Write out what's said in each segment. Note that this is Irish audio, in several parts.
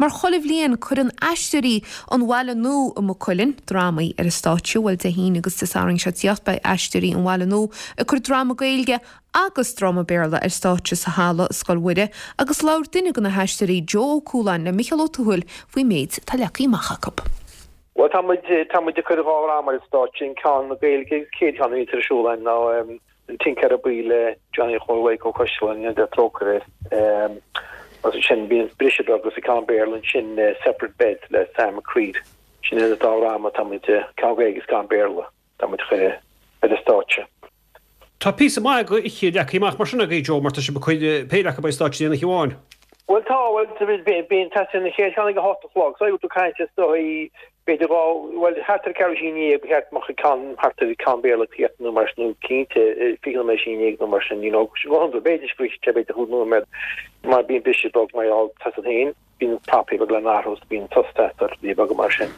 Mar chuile bhliain cuireann Aisteoirí an Bhaile Nua i Maigh Cuilinn drámaí ar an stáitse. Bhuel Dé hAoine agus Dé Sathairn seo ag tíocht beidh Aisteoirí an Bhaile Nua ag cur dráma Gaeilge agus dráma Béarla ar stáitse sa halla i Scoil Mhuire agus labhair duine de na haisteoirí Joe Ó Cualáin le Micheál Ó Tuathail faoin méid atá leagtha amach acu. Bhuel tá muid, tá muid ag cur 2 dhráma ar an stáitse, an ceann Gaeilge agus chéad cheann a bhíonns ar siúl againn ná An Tincéara Buí le Johnny Chóil Mhaidhc Ó Coisdealbha, go ndéana Dia trócaire air. Agus ansin bíonn briseadh beag agus an ceann Béarla ansin Separate Beds le Sam McCread. Sin iad an dá dhráma atá muid, ceann Gaeilge agus ceann Béarla. Tá muid a chur ar an stáitse. Tá píosa maith d'oíche leagtha amach mar sin agaibh, Joe, mar tá sibh ag cur péire acu ar an stáitse aon oíche amháin. Bhuel tá, bhuel bíonn tosaíonn an chéad cheann ag a hocht a chlog, so tú ag caint is dóigh b'fhéidir dhá, bhuel thart ar ceathrú i ndiaidh ba cheart go mbeadh an ceann thart ar ceann Béarla ag tíocht nó mar sin nó cinnte 20 nóiméad i ndiaidh nó mar sin, you know, go hiondúil b'fhéidir go bhfaighidh sé b'fhéidir chúig nóiméad mar bíonn briseadh beag mar gheall tá siad féin. Bíonn prapaí beaga le n-athrú is bíonn sos ort rudaí beaga mar sin.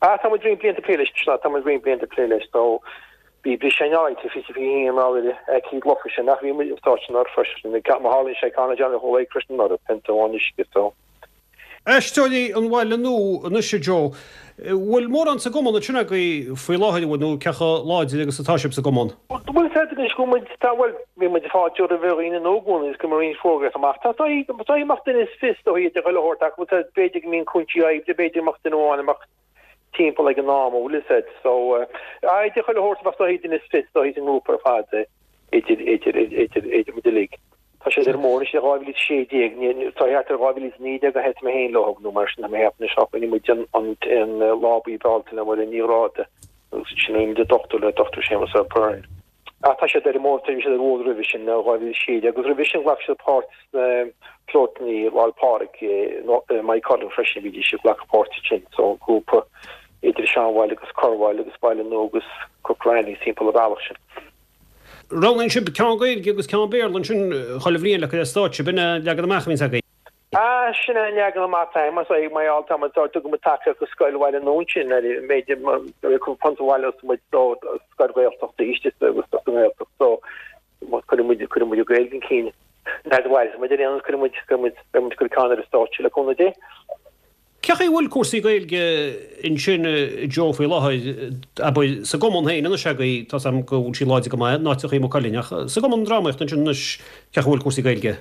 Ach tá muid roinnt blianta ag plé leis, tá muid roinnt blianta ag plé leis so bhí briseadh in áit, 20 21 mar gheall ar aicíd lofa sin ach bhí muid stáitse anuraidh freisin, má tharlaíonn sé ceann le Johnny Chóil Mhaidhc freisin anuraidh, pionta amháin uisce so. Aisteoirí an Bhaile Nua anois a Joe. Bhfuil mórán sa gcumann ansin agaibh faoi láthair, an bhfuil, nó cé chomh láidir agus atá sibh sa gcumann? Bhuel, is ea, anois go bhfuil muid, tá, bhuel, bhí muid ag fáiltiú roimh dhaoine nua i gcónaí agus go mbíonn roinnt fógraíocht amach. Tá, tá, tá mbeadh duine is fios dóigh idir chuile shórt acu, tá, b'fhéidir go mbíonn cúinsí oibre, b'fhéidir go mbeadh duine amháin a mbeadh timpeall ag an am, an bhfuil fhios a'd. So, idir chuile shórt bheadh dóigh duine is fios dóigh sa ngrúpa ar fad, idir, idir, idir, idir muid uilig. Tá siad ar an mbóthar anois le 2016, tá thart ar 2019 a thosaigh mé féin leo nó mar sin tá mé ag ceapadh anois ach rinne muid an an Lá Buí Bealtaine le Máire Ní Ghráda agus ansin rinne muid an dochtúir le Dr Séamus O'Byrne. Ach tá siad ar an mbóthar, bhí siad ar an bhfód roimhe sin, 2016 agus roimhe sin ghlac siad páirt sna Flótanna Lá'l Pádraig i Maigh Cuilinn freisin, bhídís ag glacadh páirt ansin, so grúpa idir Seanbhaile agus Corrbhaile agus Baile Nua agus Croghranny timpeall an bhealach sin. Roghnaíonn sibh ceann Gaeilge agus ceann Béarla ansin chuile bhliain le cur ar stáitse, b'in é an leagan amach a bhíonns agaibh. Ah, sin é an leagan amach atá mar is mar gheall tá muid sórt tugann muid tacaíocht do scoil Bhaile Nua ansin ar an mb'fhéidir cúpla punt a bhaileos muid do scoil Ghaeltachta istigh sa agus sa nGaeltacht so cuireann muid cuireann muid an Ghaeilge chun cinn. Nuair a bhaileos muid ar aon nós cuireann muid cuireann muid beidh muid ag cur ceann ar an stáitse le cúnamh Dé. Cé chaoi a bhfuil cúrsaí Gaeilge ansin Joe faoi láthair, abair, sa gcumann féin anois agaibh, tá's a'm go bhfuil sí láidir go maith in áiteachaí i Maigh Cuilinn, ach sa gcumann drámaíochta ansin anois, cé chaoi a bhfuil cúrsaí Gaeilge?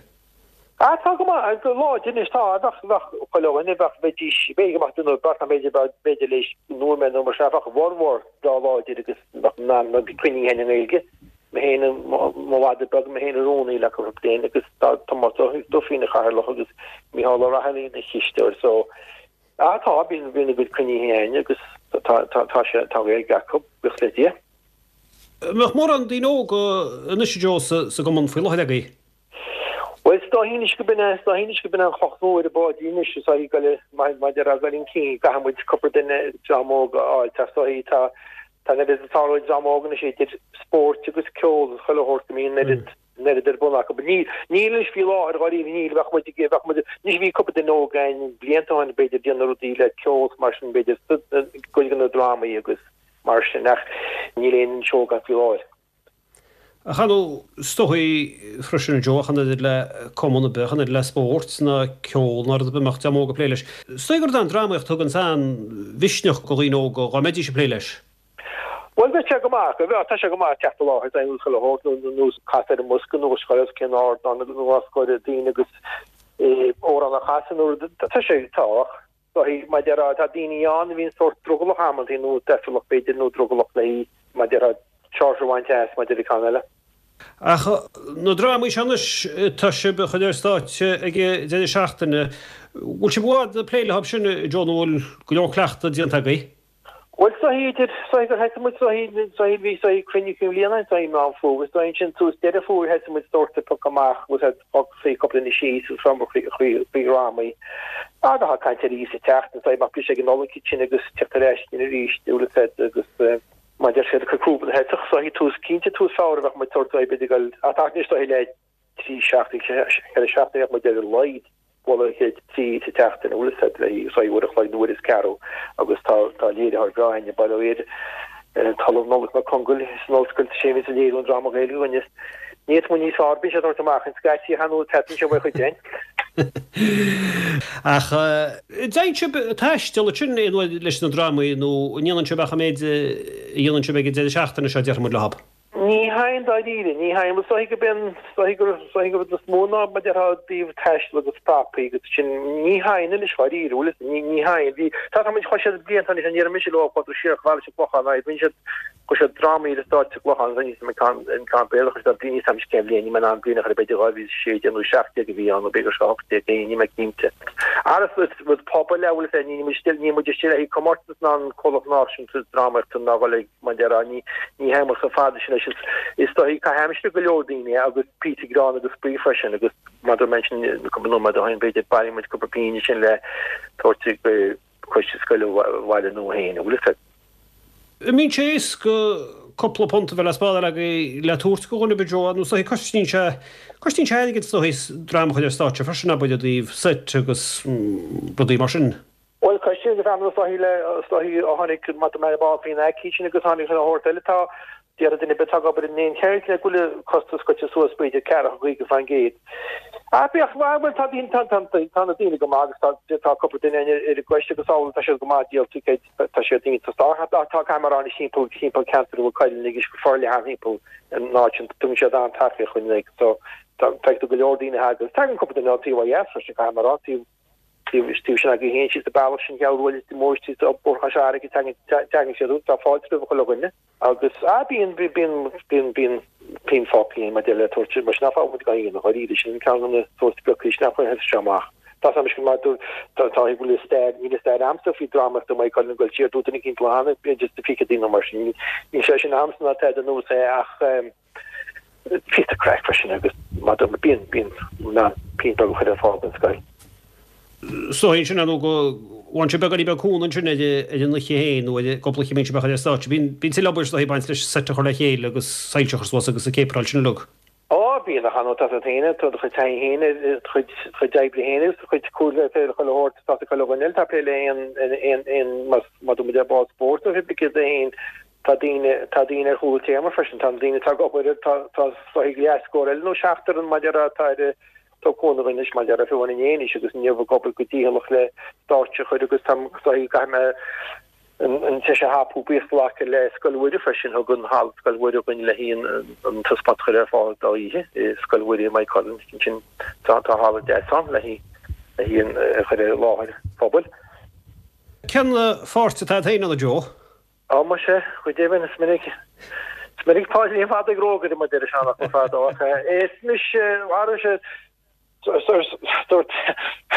Ah tá go maith, go láidir anois, tá, bheadh, bheadh chuile dhuine, bheadh, bheidís, b'fhéidir go mbeadh duine nó beirt, b'fhéidir, b'fhéidir leis nóiméad nó mar sin, bheadh a bhformhór breá láidir agus bheadh na, na cruinnithe i nGaeilge. Mé féin, mo mhadadh beag, mé féin an rúnaí le cúpla bliain agus tá Tomás Ó Dufaigh ina chathaoirleach agus Mícheál Ó Raghallaigh ina chisteoir so ah tá, bíonn, bíonn a gcuid cruinnithe againn agus tá, tá, tá sé, tá Gaeilge acu, buíochas le Dia. An mbeadh mórán daoine óga anois a Joe sa, sa gcumann faoi láthair agaibh? Bhuel, is dóichí anois go b'in é, is dóichí anois go b'in é an chloch mhór ar an bpáidín anois, is dóichí go le, maidir a dhul chun cinn, caithfidh muid cúpla duine dream óg a fháil, tá, is dóichí, tá, tá an oiread ag tarlú ag dream óg anois idir spóirt agus ceol agus chuile shórt go mbíonn an oiread, an oiread ar bun acu. Níl, níl anois faoi láthair, dháiríre, níl, bheadh muid, bheadh muid, anois bhí cúpla duine óg againn blianta ó shin b'fhéidir ag déanamh rudaí le ceol is mar sin b'fhéidir, cuid de na drámaí agus mar sin ach níl aon duine óg againn faoi láthair. Ach ar ndóigh, is dóichí freisin, a Joe, ach an oiread le cumann ar bith, ach an oiread le spórt ná ceol ná rud ar bith a mbeadh dream óg ag plé leis. Is dóigh gurb é an drámaíocht a thuganns an-mhisneach do dhaoine óga dhá mbeidís ag plé leis. Bhuel, bheadh sé go maith, bheadh, tá sé go maith teacht i láthair d'aon chuile shórt nó nós casadh ar an mbosca nó os cionn ardán nó os comhair daoine agus amhrán a chasadh nó rud, tá sé, tá ach. Dóichí, mar a déarfá, tá daoine ann a bhíonn sórt drogallach amantaí nó deifrealach b'fhéidir nó drogallach léi, mar a déarfá, seáirse a bhaint as maidir le ceann eile. Ach na drámaí seo anois atá sibh a chur ar stáitse ag an deireadh seachtaine, bhfuil sibh i bhfad ag plé leo sin, Joe, nó bhfuil go leor cleachtadh déanta agaibh? Bhuel, is dóichí idir, is dóichí gur thosaigh muid, is dóichí, is dóichí, bhí, is dóichí cruinniú cinn bhliana, is dóichí Meán Fómhair, is dóichí ansin suas Deireadh Fómhair thosaigh muid sórt ag piocadh amach, bhfuil a fhios a'd, suí cúpla duine síos agus rabhamar faoi, faoi, faoi dhrámaí. Agus tá caint ar Íosa ag teacht, is dóichí mbeadh briseadh ag an Nollaig ansin agus teacht ar ais ansin arís, bhfuil a fhios a'd, agus mar deir siad, cur crúba na heiteach, is dóichí tús, cinnte tús Feabhra bheadh muid sórt, b'fhéidir ag dul, ach anois is dóichí le 3 seachtaine, 4 seachtaine bheadh muid ar a laghad bualadh le chéile 3 sa tseachtain, bhfuil a fhios a'd, le haghaidh uair a chloig nó uair is ceathrú agus tá tá léiritheoir breá againn, bail ó Dhia ar an tOllamh Nollaig Mac Congail san ollscoil, sé a bhíonns ag léiriú an dráma Gaeilge againn. Ní fhéadfadh muid níos fearr, bíonn sé ag tabhairt amach an scaití, chan fhuil, teastaíonn sé uaidh chuid againn. Ach dtéann sibh ag taisteal ansin aon uair leis na drámaí nó an ndéanann sibh ach an méid a dhéanann sibh ag an deireadh seachtaine seo, déarfaidh muid leob? Ní théann dáiríre, ní théann. Is dóichí go b'in, is dóichí gur, is dóichí gur rud is mó ná mar déarfá i dtaobh taistil agus prapaí agus sin, ní théann anois dháiríre, bhfuil fhios, ní, ní théann. Bhí, tá, tá muid, chuaigh siad blianta anois, an ndéarfaidh mise leo, chuadar siar chomh fada leis an gClochán, ná bhí siad, Chuir siad drámaí ar an stáitse sa gClochán agus níl 'fhios a'm an ceann Béarla chuir siad bliain níl 'fhios a'm cén bhliain níl mé in ann bliain a chur b'fhéidir 2016 nó 17 a bhí ann nó b'fhéidir 18 é níl mé cinnte. Ara is rud pobail é bhfuil 'fhios a'd níl muid níl muid istigh le haghaidh comórtas ná an comhlacht náisiúnta drámaíochta ná dhul ag mar déarfá ní ní théann muid chomh fada sin leis is is dóichí caitheamh aimsire go leor daoine agus píosa greann agus spraoi freisin agus mar a dúirt mé ansin cúpla nóiméad ó shin b'fhéidir bailíonn muid cúpla pingin ansin le tabhairt go coiste scoile Bhaile Nua féin, an bhfuil 'fhios a'd. An mbíonn sé éasca cúpla punt a bheith le spádáil agaibh le tabhairt go dhuine ar bith Joe, nó is dóichí cosnaíonn sé, cosnaíonn sé airgead is dóichí dráma a chur ar stáitse freisin abair i dtaobh seit agus rudaí mar sin. Bhuel cosnaíonn go is dóichí le, is dóichí ó tháinig, má tá mé ar ball faoin aicíd sin agus tháinig an shórt eile tá, Déarfaidh duine ar bith atá ag obair in aon cheird le go bhfuil an costas goite suas b'fhéidir ceathracha 50%. Ach bíodh, bhuel tá daoine, tá, tá, tá na daoine go maith agus tá, tá cúpla duine ar an gcoiste agus amhlaidh tá siad go maith díol ticéid, tá siad iontach. Tá, tá, tá cameráin timpeall, timpeall ceantar Mhaigh Cuilinn agus go forleathan timpeall an áit sin, tugann siad an-tacaíocht dhúinn like so tá, feictear go leor daoine a thagann, tagann cúpla duine ón taobh ó dheas freisin caithfidh mé a rá, taobh, taobh, taobh sin agaibh féin síos an bealach sin cheal bhuail mór síos Bóthar Chois Fharraige tagann, tagann siad, tá fáilte roimh chuile dhuine. Agus, ah, bíonn, bíonn, bíonn, bíonn pingin fágtha againn maidir le tabhairt, mar sin nach bhfágann muid gan aon dháiríre, sin ceann de na sórt spriocaí sin nach bhfuil seo amach. Tá a fhios agam mar tá, tá, go bhfuil stair, níl stair a'msa faoi drámaíocht i Maigh Cuilinn ag dul siar, dúirt duine eicínt lá cheana, b'fhéidir sna fichidí nó mar sin, níl sé sin a'msa ná tada nua é ach, Píosa craic freisin agus mar a dúirt mé bíonn bíonn in ann pingin beag a chur ar fáil don scoil. Is dóigh ansin ar ndóigh go bhfaigheann sibh beagáinín beag cúnamh ansin ar an oíche féin nó ar an gcúpla oíche a mbíonn sibh á chur ar stáitse. Bíonn bíonn tuilleadh obair is dóigh ag baint leis seit a chur le chéile agus soilse a chur suas agus an chéipearáil sin uilig. Á, bíonn ach ar ndóigh tá tú féin, tá do chuid taithí féin, do chuid chuid oibre féin agus do chuid cúl le chuile shórt tá chuile dhuine eile tá plé le aon aon aon más má tá muid ar ball spóirt nó pé céard é féin Tá daoine, tá daoine ar chúl an téarma freisin, tá na daoine atá ag obair, tá, tá is dóichí leathscór eile nó seachtar an maidir atá ar tá cúnamh anois maidir le fiú inné anois agus inniu ag obair go dícheallach le stáitse a chur agus tá is dóichí go gcaithfidh mé an, an deis a thapú buíochas a ghlacadh le Scoil Mhuire freisin, thug an halla Scoil Mhuire dhúinn le haghaidh an, an taispeántas a chur ar fáil dá oíche i Scoil Mhuire i Maigh Cuilinn, ansin tá, tá halla deas ann le haghaidh, le haghaidh an, a chur ar láthair phobail. Cén pháirt atá agat féin ann, a Joe? Á, muise, go deimhin, is minic, is minic Páidrín Fada ag rógaire mar deireadh seanfhocal fadó, ach is mise, ara sé, dúirt,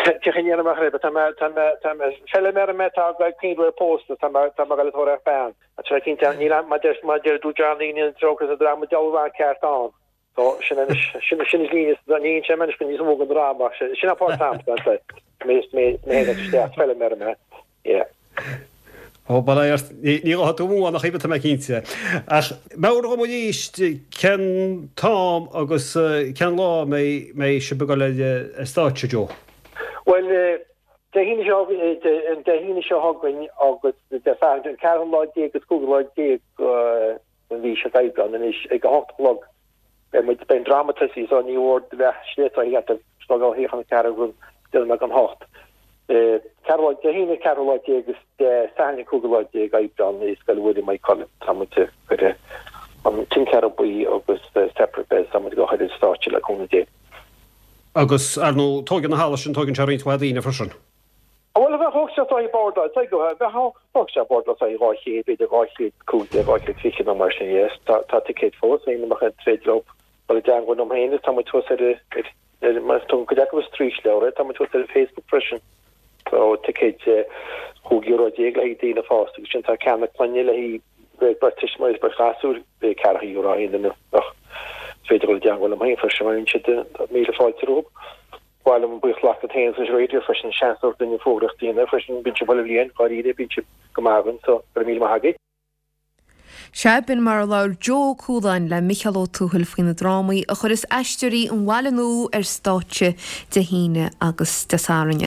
cén chaoi a ndéanfaidh mé chraobh, tá mé, tá mé, tá mé, feiliméar mé atá ag cuimhneamh ar pósadh, tá mé, tá mé ag dul ag tóraíocht bean. Tá sé cinnte, níl, mar deir, mar deir dúirt Johnny, níl an trócaire sa dráma dealramh ceart ann. So, sin anois, sin, sin is líne, ní inse anois go níos mó den dráma, ach sin, sin an páirt a'msa, ansa, mé, mé, mé féin isteach, feiliméar mé, yeah. Ó, bail ó Dhia ort, ní, ní ghabhfaidh tú amú ann ach oiread, tá mé cinnte. Ach meabhraigh dhom arís cén t-am agus cén lá a mbeidh, mbeidh sibh ag dul ar, ar stáitse, Joe? Bhuel, Dé hAoine seo, an Dé hAoine seo chugainn agus Dé Sathairn, an ceathrú lá déag agus cúigiú lá déag, an mhí seo d'Aibreán anois ag a hocht a chlog beidh muid, beidh an dráma tosaithe so ní mhór do bheith sléibhte thart ar snámh ó shuíochán ceathrú go déanamh ag an hocht. Ceathrú lá, Dé hAoine ceathrú lá déag agus Dé Sathairn an cúigiú lá déag Aibreán i Scoil Mhuire Maigh Cuilinn. Tá muid ag cur an Tinncéara Buí agus Separate Beds tá muid ag cur ar stáitse le cúnamh Dé. Agus ar ndóigh tóigeann an halla sin tóigeann sé roinnt mhaith daoine freisin. Bhuel, bheadh sé is dóichí bordáil, bheadh sé bordáil is dóichí 200, b'fhéidir 215, 220 nó mar sin, yes. Tá tá ticéid fós, aon mbeadh an tréad leo dul i dteangmháil liom féin agus tá muid thuas ar ar mar tugann cuid acu is straoisleabhar é, tá muid thuas ar Facebook freisin. Tá ticéid €15 le haghaidh daoine fásta agus sin tá ceannach clainne le haghaidh beirt tuismitheoirí is beirt ghasúr, €40 aon duine ach is féidir dul i dteangmháil liom féin freisin má bhíonn siad míle fáilte rompu. Ba mhaith liom buíochas a ghlacadh leat féin agus leis an raidió freisin, seans a thabhairt dúinn an fógraíocht a dhéanamh freisin, bíonn sibh chuile bhliain, dháiríre, bíonn sibh go maith againn, so go raibh míle maith agaibh. Sea, b'in mar a labhair Joe Ó Cualáin le Micheál Ó Tuathail faoi na drámaí a chuireas Aisteoirí an Bhaile Nua ar stáitse Dé hAoine agus Dé Sathairn.